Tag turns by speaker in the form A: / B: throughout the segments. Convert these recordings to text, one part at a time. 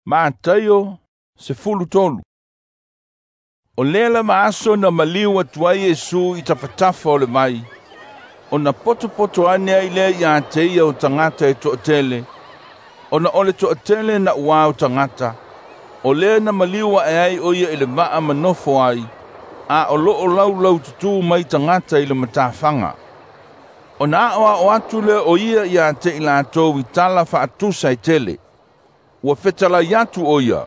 A: Mataio 13. O lea lava aso na maliu atu ai Iesu i tafatafa o le vai, ona potopoto ane ai lea ia te ia o tagata e toatele, ona o le toatele na uā o tagata, o lea na maliu ae ai o ia i le vaa ma nofo ai, a o loo laulaututū mai tagata i le matafaga. Ona aoao atu lea o ia ia te i latou i tala faatusa e tele. Ua fetalai atu o ia.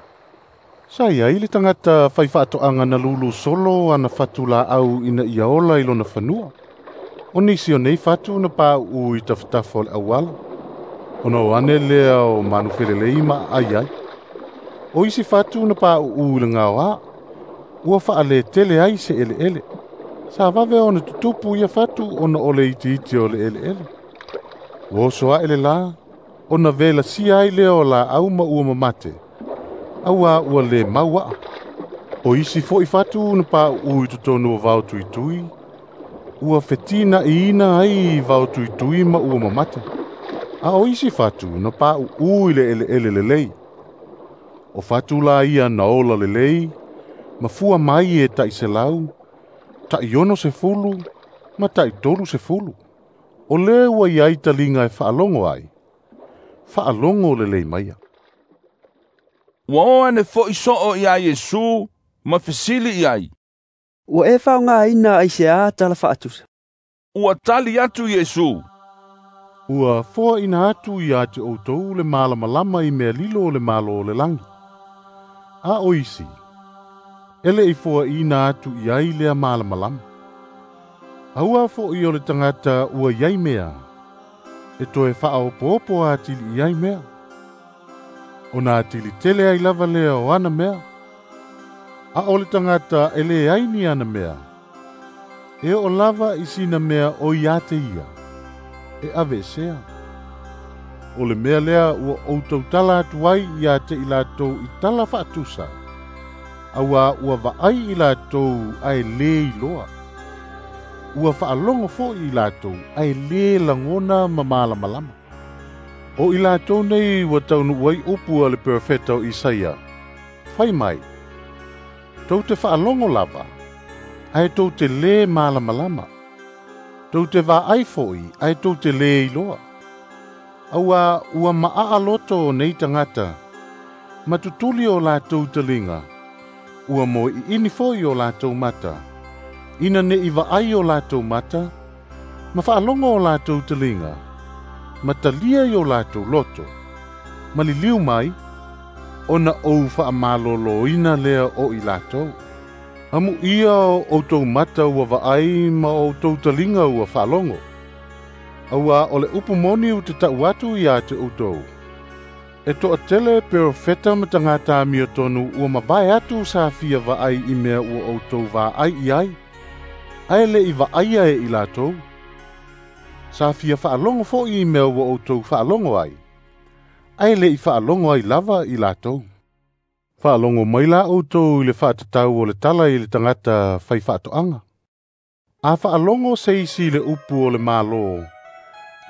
B: Sa iai le tagata faifaatoaga na lulu solo ana fatu laau ina ia ola i lona fanua. O nisi o nei fatu na pauu i tafatafa o le auala, ona o ane lea o manu felelei ma aai ai. O isi fatu na pauu i le gaoā, ua faaletele ai se eleele. Sa vave ona tutupu ia fatu ona o le itiiti o le eleele. Ua oso ae le lā, ona velasia ai lea o laau ma ua mamate, auā ua lē mau aa. O isi fo'i fatu na pauu i totonu o vao tuitui, ua fetina'iina ai vao tuitui ma ua mamate. A o isi fatu na pauu i le eleele lelei. O fatu la ia na ola lelei, ma fua mai e 100, 60 ma 30. O lea ua iai taliga e faalogo ai, faalogo lelei maia.
A: Ua o ane fo'i soo iā Iesu ma fesili i ai.
C: Ua e faaaogaina aiseā tala faatusa?
A: Ua tali atu Iesu.
B: Ua foaina atu ia te outou le malamalama i mea lilo o le Malo o le lagi. A o isi, e le i foaina atu i ai lea malamalama. Aua fo'i o le tagata ua iai mea, e toe faaopoopo atili i ai mea. Ona atili tele ai lava lea o ana mea. A o le tagata e leai ni ana mea, e oo lava i sina mea o ia te ia, e aveesea. O le mea lea ua ou tautala atu ai ia te i latou i tala faatusa, auā ua vaai i latou ae lē iloa. Ua faalogo fo'i i latou ae lē lagona ma malamalama. O i latou nei ua taunuu ai upu a le perofeta o Isaia, fai mai, tou te faalogo lava, ae tou te lē malamalama. Tou te vaai fo'i, ae tou te lē iloa. Auā ua maaa loto o nei tagata, ma tutuli o latou taliga, ua moe'i'ini fo'i o latou mata, ina ne'i vaai o latou mata, ma faalogo o latou taliga, ma talia i o latou loto, ma liliu mai, ona ou faamalōlōina lea o i latou. Amuia o outou mata ua vaai ma o outou taliga ua faalogo. Auā o le upu moni ou te tau atu ia te outou. E toatele perofeta ma tagata amiotonu ua mavae atu sa fia vaai i mea ua outou vaai i ai, ae le i vaaia e i latou. Sa fia faalogo fo'i i mea ua outou faalogo ai, ae le i faalogo ai lava i latou. Faalogo mai la outou i le faatatau o le tala i le tagata faifaatoaga. A faalogo se isi i le upu o le Malo,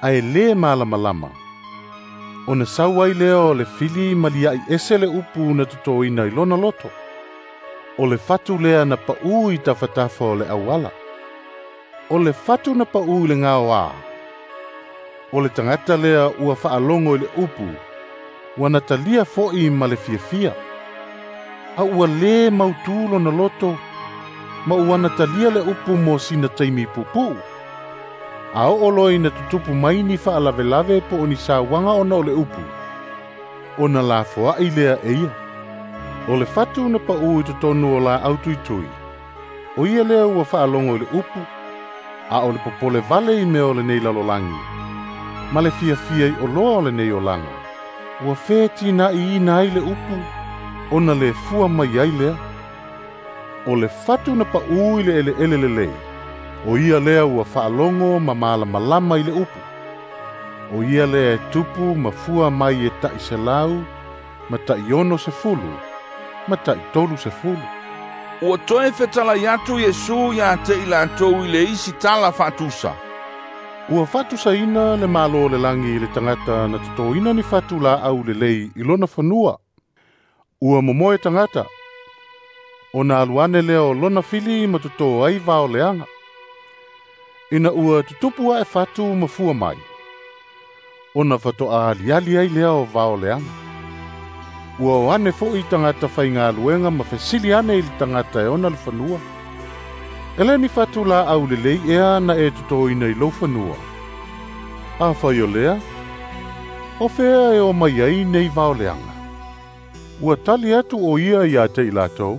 B: ae lē malamalama, ona sau ai lea o le fili ma lia'i ese le upu na totoina i lona loto. O le fatu lea na paū i tafatafa o le auala. O le fatu na paū i le gaoā, o le tagata lea ua faalogo i le upu, ua na talia fo'i ma le fiafia. A ua lē mautū lona loto, ma ua na talia le upu mo sina taimi puupuu. A oo loa ina tutupu mai ni faalavelave po o ni sauaga ona o le upu, ona lafoa'i lea e ia. O le fatu na paū i totonu o laau tuitui, o ia lea ua faalogo i le upu, a o le popole vale i mea o lenei lalolagi, ma le fiafia i oloa o lenei olaga, ua fetina'iina ai le upu, ona le fua mai ai lea. O le fatu na paū i le eleele lelei, o ia lea ua faalogo ma malamalama i le upu. O ia lea e tupu ma fua mai e 100, ma 60, ma 30.
A: Ua toe fetalai atu Iesu ia te i latou i le isi tala faatusa.
B: Ua faatusaina le Malo o le lagi i le tagata na totoina ni fatu laau lelei i lona fanua. Ua momoe tagata, ona alu ane lea o lona fili ma totō ai vao leaga. Ina ua tutupu ae fatu ma fua mai, ona faatoa aliali ai lea o vao leaga. Ua o ane fo'i tagata faigaluega ma fesili ane i le tagata e ona le fanua. E le ni fatu laau lelei ea na e totoina i lou fanua. Afai o lea, o fea e o mai ai nei vao leaga. Ua tali atu o ia ia te i latou.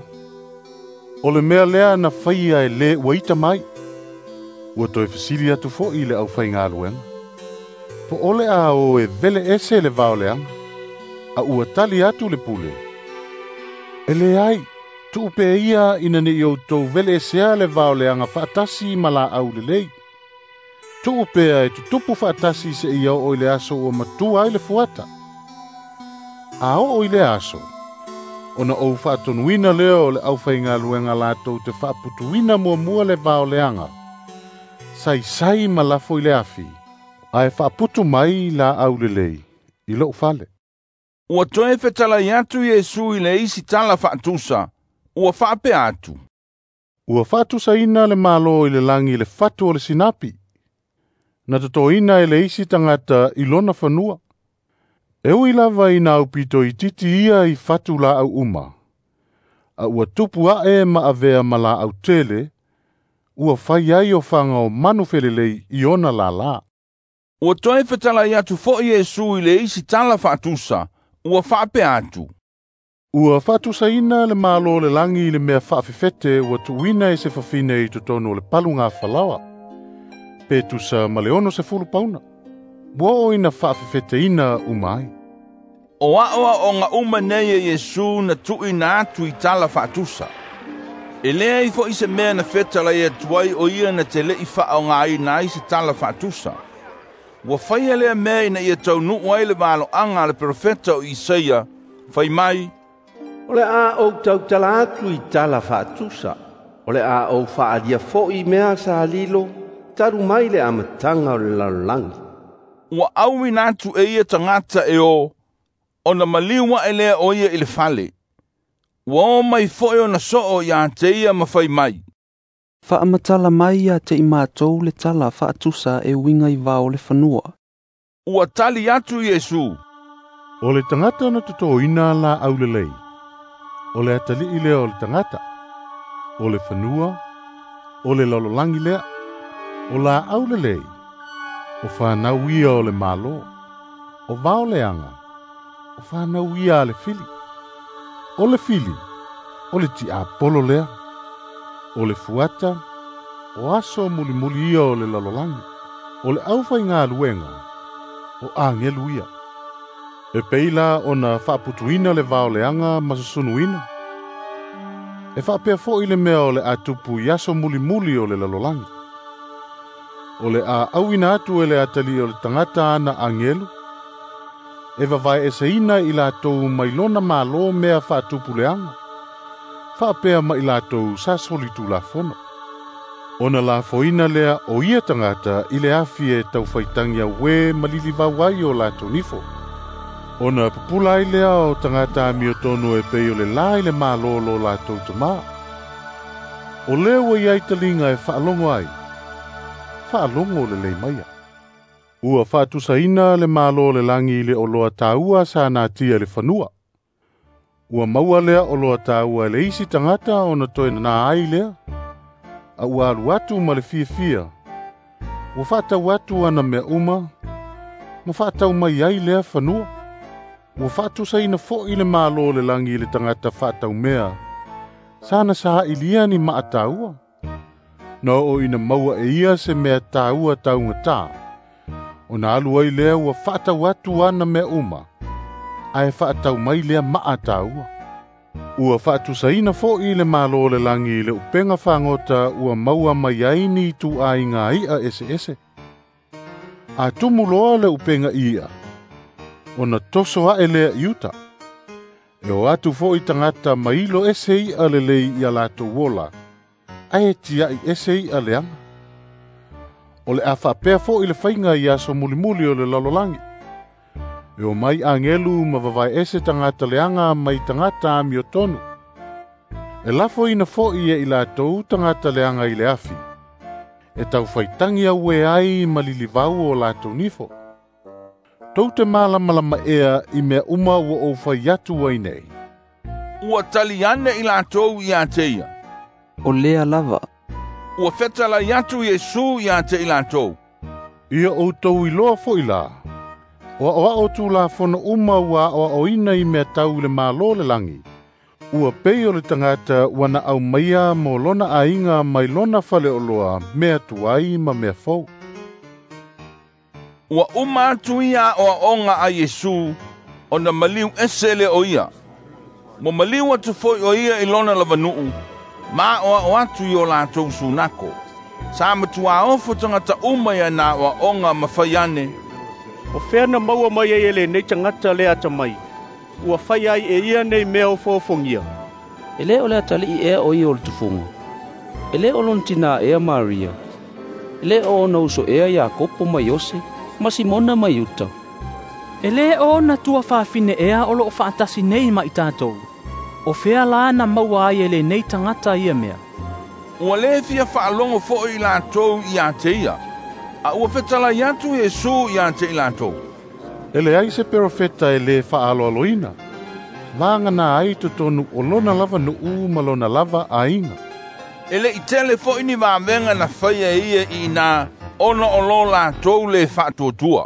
B: O le mea lea na faia e le ua ita mai. Ua toe fesili atu fo'i le aufaigaluega. Po o le a o e vele ese le vao leaga. A ua tali atu le pule. E leai, tuu pea ia ina ne i outou vele esea le vao leaga faatasi ma laau lelei. Tuu pea e tutupu faatasi seia oo i le aso ua matua ai le fuata. A oo i le aso, ona ou faatonuina lea o le aufaigaluega latou te faaputuina muamua le vao leaga. Saisai ma lafo i le afi, ae faaputu mai laau lelei i lou fale.
A: Ua toe fetalai atu Iesu i le isi tala faatusa, ua faapea atu.
B: Ua faatusaina le Malo i le lagi i le fatu o le sinapi. Na totoina e le isi tagata i lona fanua. E ui lava ina aupito itiiti ia i fatu laau uma. A ua tupu ae ma avea ma laau tele, ua fai ai ofaga o manu felelei i ona lālā.
A: Ua toe fetalai atu fo'i Iesu i le isi tala faatusa, ua faapea atu.
B: Ua faatusaina le Malo o le lagi i le mea faafefete ua tuuina e se fafine i totonu o le paluga falaoa. Pe tusa ma le 60 pauna. Ua oo ina faafefeteina uma ai.
A: O aoaoga uma nei e Iesu na tuuina atu i tala faatusa. E leai fo'i se mea na fetalai atu ai o ia na te le'i faaogaina ai se tala faatusa. Ua faia lea mea ina ia taunuu ai le valoaga a le perofeta o Isaia, fai mai,
D: O le a ou tautala atu i tala faatusa, o le a ou faalia fo'i mea sa lilo, talu mai le amataga o le lalolagi.
A: Ua auina atu e ia tagata e o, ona maliu ae lea o ia i le fale. Ua o mai fo'i ona soo ia te ia ma fai mai.
C: Faamatala mai ia te i matou le tala faatusa e uiga i vao le fanua.
A: Ua tali atu Iesu.
B: O le tagata na totoina laau lelei. O le atalii lea o le tagata. O le fanua, o le lalolagi lea. O laau lelei, o fanau ia o le Malo. O vao leaga, o fanau ia a le fili. O le fili, o le tiapolo lea. O le fuata, o aso mulimuli ia o le lalolagi. O le aufaigaluega, o agelu ia. E pei la ona faaputuina le vao leaga ma susunuina. E faapea fo'i le mea o le a tupu i aso mulimuli o le lalolagi. O le a auina atu e le atalii o le tagata ana agelu, e vavae eseina i latou mai lona Malo mea faatupu leaga, faapea ma i latou sa solitulafono. Ona lafoina lea o ia tagata i le afi e taufaitagi auē ma lilivau ai o latou nifo. Ona pupula ai lea o tagata amiotonu e pei o le la i le Malo lo latou tamā. O lea ua iai taliga e faalogo ai, faalogo lelei maia. Ua faatusaina le Malo o le lagi i le oloa taua sa natia i le fanua. Ua maua lea oloa taua e le isi tagata ona toe na ai lea. A ua alu atu ma le fiafia. Ua faatau atu ana mea uma, ma faatau mai ai lea fanua. Ua faatusaina fo'i le Malo o le lagi i le tagata faataumea. Sana saailia ni maa taua. Na oo ina maua e ia se mea taua taugatā. Ona alu ai lea ua faatau atu ana mea uma, ae faatau mai lea maa taua. Ua faatusaina fo'i le Malo o le lagi i le upega fagota ua maua mai ai ni ituaiga i'a eseese. A tumu loa le upega i'a, ona toso ae lea i uta. E o atu fo'i tagata mailo ese i'a lelei ia latou ola, ae tiai ese i'a leaga. O le a faapea fo'i le faiga i aso mulimuli o le lalolagi. E o mai agelu ma vavaeese tagata leaga mai tagata amiotonu. E lafoina fo'i e i latou tagata leaga i le afi. E taufaitagi auē ai ma lilivau o latou nifo. Tou te malamalama ea i mea uma ua ou fai atu ai nei?
A: Ua tali ane i latou ia te ia.
C: O lea lava.
A: Ua fetalai atu Iesu ia te i latou.
B: Ia outou iloa fo'i la, o aʻoaʻo tulafono uma ua aʻoaʻoina i mea tau i le Malo o le lagi, ua pei o le tagata ua na aumaia mo lona aiga mai lona faleoloa mea tuai ma mea fou.
A: Ua uma atu ia aʻoaʻoga a Iesu, ona maliu ese lea o ia. Mo maliu atu foi o ia i lona lavanu'u, ma aʻoaʻo atu i o latou sunako. Sa matuā ofo tagata uma ia na aʻoaʻoga ma fai ane.
E: O fea na maua mai ai e lenei tagata le atamai, ua faia ai e ia nei mea ofoofogia?
C: E lē o le atalii ea o ia o le tufuga? E lē o lona tinā ea Maria? E lē o ona uso ea Iakopo ma Iose, ma Simona ma Iuta?
F: E lē o ona tuafafine ea o loo faatasi nei ma i tatou? O fea la na maua ai e lenei tagata ia mea?
A: Ua lē fia faalogo foʻi i latou ia te ia. A ua fetalai atu Iesu ia te i latou.
B: E leai se perofeta e lē faaaloaloina. Vagana ai totonu o lona lava nuu ma lona lava aiga.
A: E leʻi tele foʻi ni vavega na faia e ia i inā, ona o lo latou lē faatuatua.